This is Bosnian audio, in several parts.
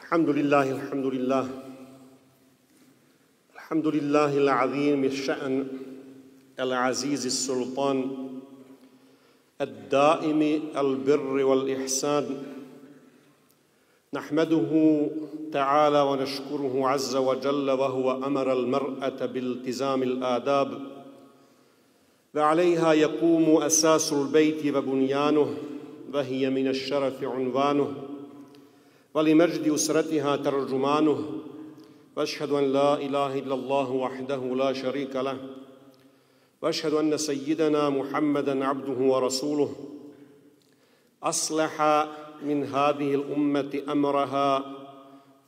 الحمد لله الحمد لله العظيم الشأن العزيز السلطان الدائم البر والإحسان نحمده تعالى ونشكره عز وجل وهو أمر المرأة بالتزام الآداب وعليها يقوم أساس البيت وبنيانه وهي من الشرف عنوانه ولمجد أسرتها ترجمانه وأشهد أن لا إله إلا الله وحده لا شريك له وأشهد أن سيدنا محمدًا عبده ورسوله أصلح من هذه الأمة أمرها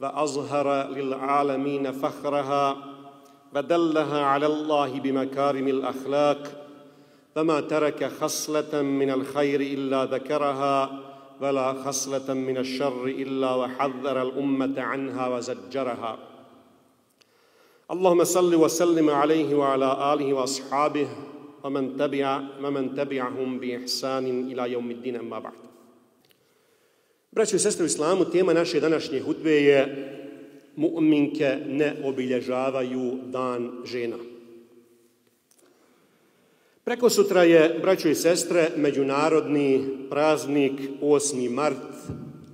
وأظهر للعالمين فخرها ودلها على الله بمكارم الأخلاق فما ترك خصلة من الخير إلا ذكرها ولا خصلة من الشر إلا وحذر الأمة عنها وزجرها اللهم صل وسلم عليه وعلى آله وأصحابه ومن تبعهم بإحسان إلى يوم الدين أما بعد. Braćo i sestre u islamu, tema naše današnje hutbe je mu'minke ne obilježavaju dan žena. Prekosutra je, braćo i sestre, međunarodni praznik 8. mart,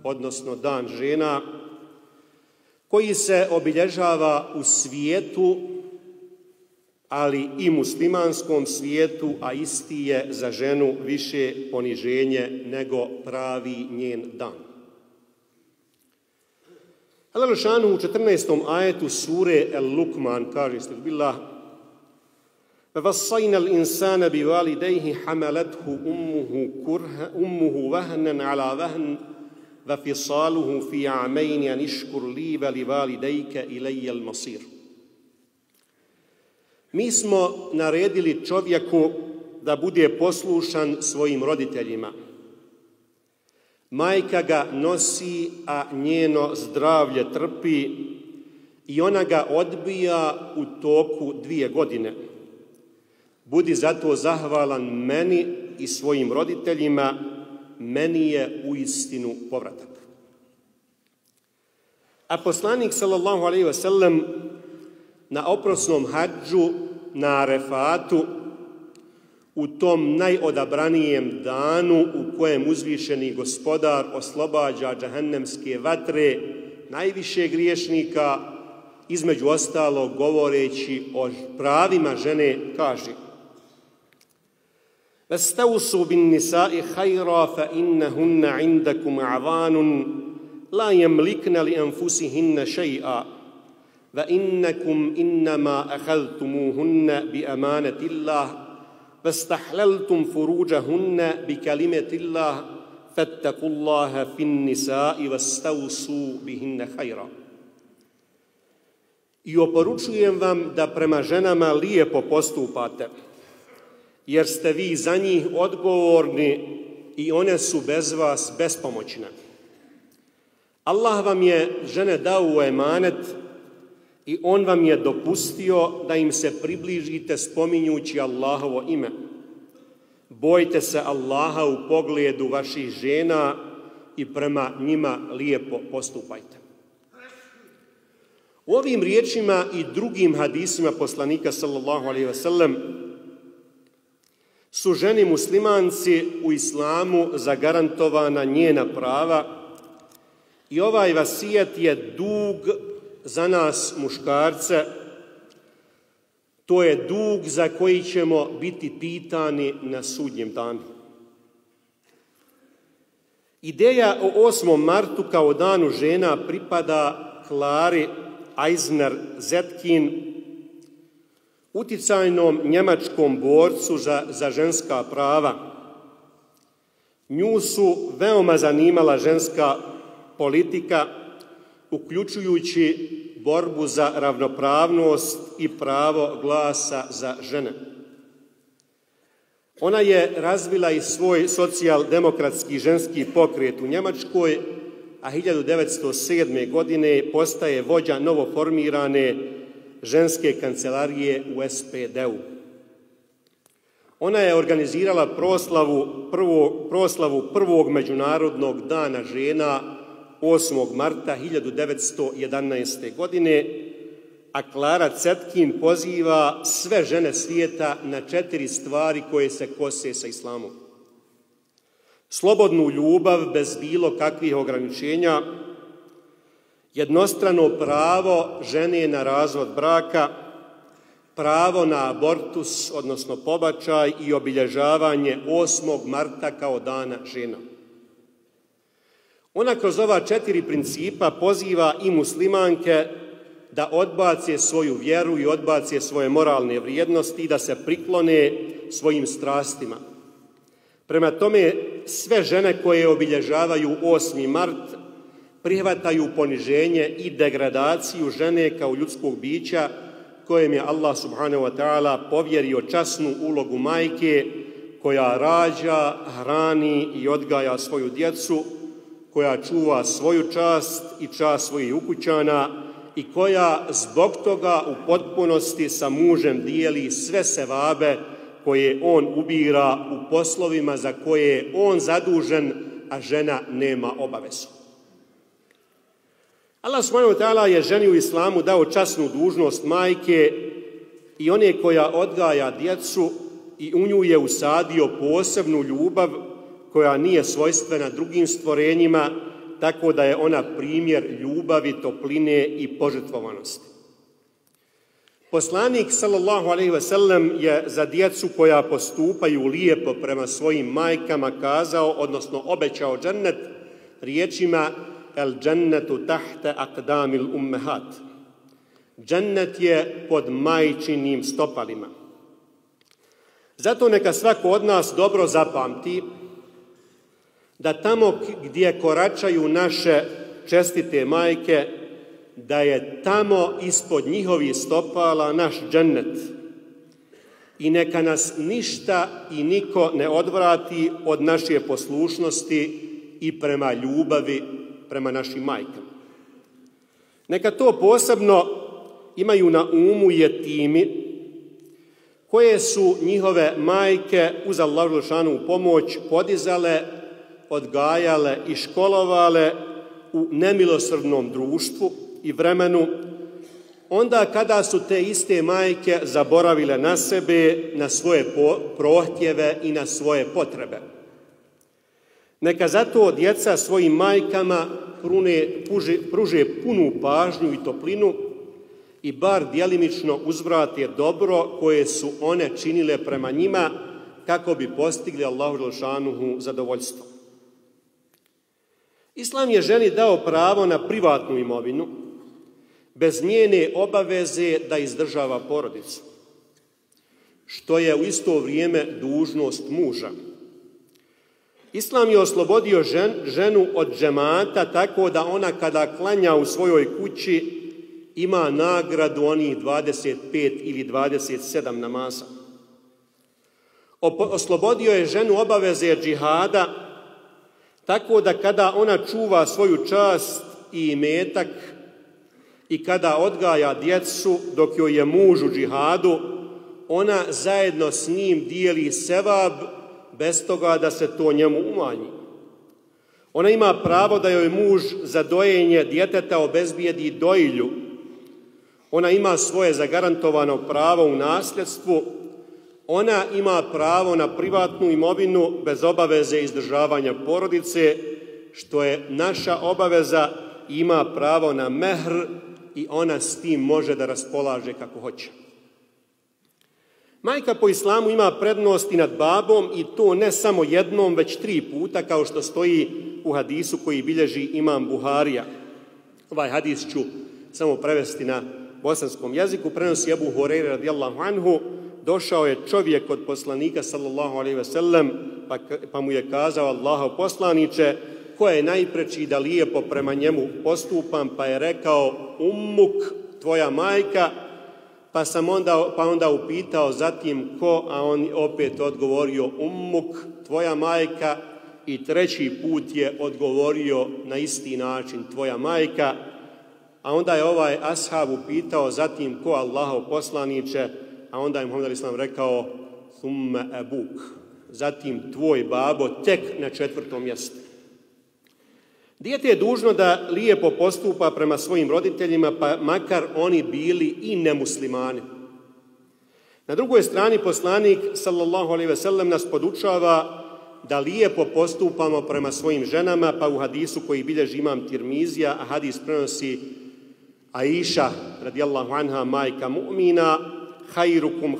odnosno dan žena, koji se obilježava u svijetu, ali i muslimanskom svijetu, a isti je za ženu više poniženje nego pravi njen dan. Allah Žešanu u 14. ajetu sure El-Lukman kaže Bismillah: وَوَصَّيْنَا الْإِنسَانَ بِوَالِدَيْهِ حَمَلَتْهُ أُمُّهُ وَهْنًا عَلَى وَهْنٍ وَفِصَالُهُ فِي عَامَيْنِ أَنِ اشْكُرْ لِي وَلِوَالِدَيْكَ إِلَيَّ الْمَصِيرُ. Mi smo naredili čovjeku da bude poslušan svojim roditeljima. Majka ga nosi, a njeno zdravlje trpi i ona ga odbija u toku 2 godine. Budi zato zahvalan meni i svojim roditeljima, meni je uistinu povratak. A poslanik sallallahu alejhi ve sellem na oprosnom hadžu na Arefatu, u tom najodabranijem danu u kojem uzvišeni gospodar oslobađa džehennemske vatre najviše griješnika, između ostalog govoreći o pravima žene, kaže: وَاسْتَوْصُوا بِالنِّسَاءِ خَيْرًا فَإِنَّهُنَّ عِنْدَكُمْ أَعْوَانٌ لَا يَمْلِكْنَ لِأَنفُسِهِنَّ شَيْئًا وَإِنَّكُمْ إِنَّمَا أَخَذْتُمُوهُنَّ بِأَمَانَةِ اللَّهِ وَاسْتَحْلَلْتُمْ فُرُوجَهُنَّ بِكَلِمَةِ اللَّهِ فَاتَّقُوا اللَّهَ فِي النِّسَاءِ وَاسْتَوْصُوا بِهِنَّ خَيْرًا. I oporučujem vam da prema ženama lijepo postupate, jer ste vi za njih odgovorni i one su bez vas bespomoćne. Allah vam je žene dao u emanet i on vam je dopustio da im se približite spominjući Allahovo ime. Bojte se Allaha u pogledu vaših žena i prema njima lijepo postupajte. U ovim riječima i drugim hadisima poslanika sallallahu alejhi ve sellem su ženi muslimanci u islamu zagarantovana njena prava i ovaj vasijet je dug za nas muškarce, to je dug za koji ćemo biti pitani na sudnjem danu. Ideja o 8. martu kao danu žena pripada Klari Eisner Zetkin, uticajnom njemačkom borcu za ženska prava. Nju su veoma zanimala ženska politika, uključujući borbu za ravnopravnost i pravo glasa za žene. Ona je razvila i svoj socijaldemokratski ženski pokret u Njemačkoj, a 1907. godine postaje vođa novoformirane ženske kancelarije u SPD-u. Ona je organizirala proslavu prvog međunarodnog dana žena 8. marta 1911. godine, a Klara Cetkin poziva sve žene svijeta na 4 stvari koje se kose sa islamom. Slobodnu ljubav bez bilo kakvih ograničenja, jednostrano pravo žene na razvod braka, pravo na abortus, odnosno pobačaj i obilježavanje 8. marta kao dana žena. Ona kroz ova 4 principa poziva i muslimanke da odbace svoju vjeru i odbace svoje moralne vrijednosti i da se priklone svojim strastima. Prema tome, sve žene koje obilježavaju 8. mart prihvataju poniženje i degradaciju žene kao ljudskog bića kojem je Allah subhanahu wa ta'ala povjerio časnu ulogu majke koja rađa, hrani i odgaja svoju djecu, koja čuva svoju čast i čast svojih ukućana i koja zbog toga u potpunosti sa mužem dijeli sve sevabe koje on ubira u poslovima za koje je on zadužen, a žena nema obavezu. Allah subhanahu wa ta'ala je ženi u islamu dao časnu dužnost majke i one koja odgaja djecu i u nju je usadio posebnu ljubav koja nije svojstvena drugim stvorenjima, tako da je ona primjer ljubavi, topline i požrtvovanosti. Poslanik sallallahu alejhi ve sellem je za djecu koja postupaju lijepo prema svojim majkama kazao, odnosno obećao džennet riječima el džennetu tahte aqdamil ummehat. Džennet je pod majčinim stopalima. Zato neka svako od nas dobro zapamti da tamo gdje koračaju naše čestite majke, da je tamo ispod njihovih stopala naš džennet. I neka nas ništa i niko ne odvrati od naše poslušnosti i prema ljubavi prema našim majkama. Neka to posebno imaju na umu jetimi koje su njihove majke uz Allahu dželešanu pomoć podizale, odgajale i školovale u nemilosrdnom društvu i vremenu, onda kada su te iste majke zaboravile na sebe, na svoje prohtjeve i na svoje potrebe. Neka zato djeca svojim majkama pruže punu pažnju i toplinu i bar djelimično uzvrate dobro koje su one činile prema njima kako bi postigli Allahu dželešanuhu zadovoljstvo. Islam je ženi dao pravo na privatnu imovinu, bez njene obaveze da izdržava porodicu, što je u isto vrijeme dužnost muža. Islam je oslobodio ženu od džemata tako da ona kada klanja u svojoj kući ima nagradu onih 25 ili 27 namaza. Oslobodio je ženu obaveze džihada tako da kada ona čuva svoju čast i imetak i kada odgaja djecu dok joj je muž u džihadu, ona zajedno s njim dijeli sevab bez toga da se to njemu umanji. Ona ima pravo da joj muž za dojenje djeteta obezbijedi dojilju. Ona ima svoje zagarantovano pravo u nasljedstvu. Ona ima pravo na privatnu imovinu bez obaveze izdržavanja porodice, što je naša obaveza, ima pravo na mehr i ona s tim može da raspolaže kako hoće. Majka po islamu ima prednost i nad babom i to ne samo jednom, već 3 puta, kao što stoji u hadisu koji bilježi imam Buharija. Ovaj hadis ću samo prevesti na bosanskom jeziku. Prenosi Ebu Hurajra radijallahu anhu, došao je čovjek od poslanika sallallahu alejhi ve sellem, pa mu je kazao: Allahov poslaniče, ko je najpreči da lijepo prema njemu postupam, pa je rekao: ummuk, tvoja majka. Pa onda upitao zatim ko, a on opet odgovorio ummuk, tvoja majka, i 3. put je odgovorio na isti način tvoja majka, a onda je ovaj ashab upitao zatim ko, Allahov poslaniče, a onda je Muhammed a.s. rekao thumme ebuk, zatim tvoj babo tek na 4. mjestu. Dijete je dužno da lijepo postupa prema svojim roditeljima, pa makar oni bili i nemuslimani. Na drugoj strani poslanik sallallahu alejhi ve sellem nas podučava da lijepo postupamo prema svojim ženama, pa u hadisu koji bilježi imam Tirmizija, a hadis prenosi Aisha radijallahu anha, majka mu'mina: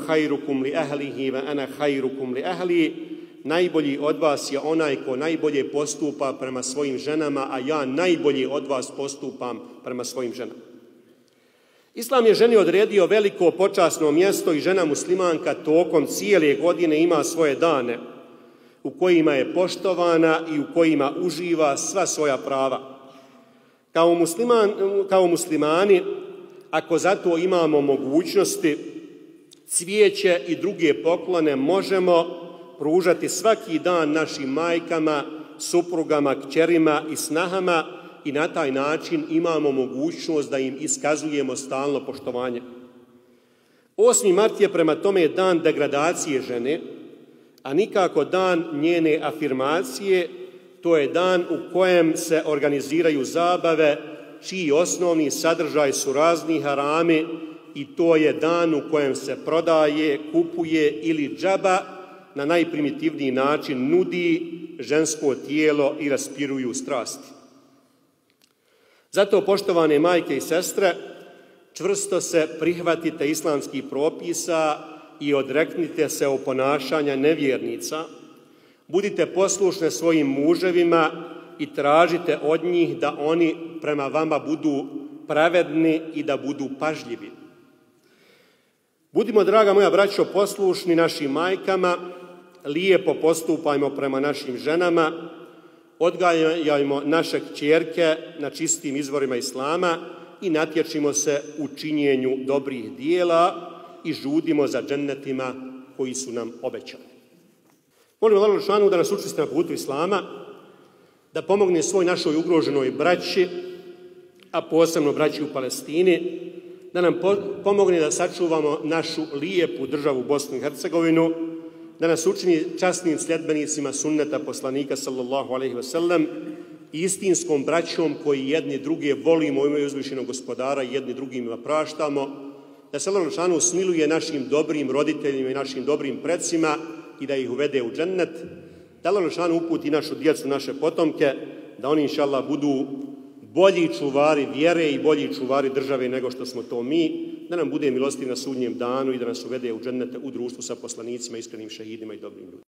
hajrukum li ahlihi wa ana hajrukum li ahli. Najbolji od vas je onaj ko najbolje postupa prema svojim ženama, a ja najbolje od vas postupam prema svojim ženama. Islam je ženi odredio veliko počasno mjesto i žena muslimanka tokom cijele godine ima svoje dane u kojima je poštovana i u kojima uživa sva svoja prava. Kao muslimani, ako zato imamo mogućnosti, cvijeće i druge poklone možemo pružati svaki dan našim majkama, suprugama, kćerima i snahama i na taj način imamo mogućnost da im iskazujemo stalno poštovanje. 8. mart je prema tome dan degradacije žene, a nikako dan njene afirmacije. To je dan u kojem se organiziraju zabave čiji osnovni sadržaj su razni harami i to je dan u kojem se prodaje, kupuje ili džaba na najprimitivniji način nudi žensko tijelo i raspiruju strasti. Zato, poštovane majke i sestre, čvrsto se prihvatite islamskih propisa i odreknite se oponašanja nevjernica. Budite poslušne svojim muževima i tražite od njih da oni prema vama budu pravedni i da budu pažljivi. Budimo, draga moja braćo, poslušni našim majkama, lijepo postupajmo prema našim ženama, odgajajmo naše kćerke na čistim izvorima Islama i natječimo se u činjenju dobrih dijela i žudimo za džennetima koji su nam obećani. Molim Allah dželešanu da nas učvrsti na putu Islama, da pomogne svoj našoj ugroženoj braći, a posebno braći u Palestini, da nam pomogne da sačuvamo našu lijepu državu Bosnu i Hercegovinu, da nas učini časnim sljedbenicima sunneta poslanika sallallahu alejhi ve sellem i istinskom braćom koji jedni druge volimo u ime uzvišenog gospodara i jedni drugima praštamo, da se Allah dželešanu smiluje našim dobrim roditeljima i našim dobrim precima i da ih uvede u džennet, da Allah dželešanu uputi našu djecu, naše potomke, da oni inšallah budu bolji čuvari vjere i bolji čuvari države nego što smo to mi, da nam bude milostiv na sudnjem danu i da nas uvede u džennete u društvu sa poslanicima, iskrenim šehidima i dobrim ljudima.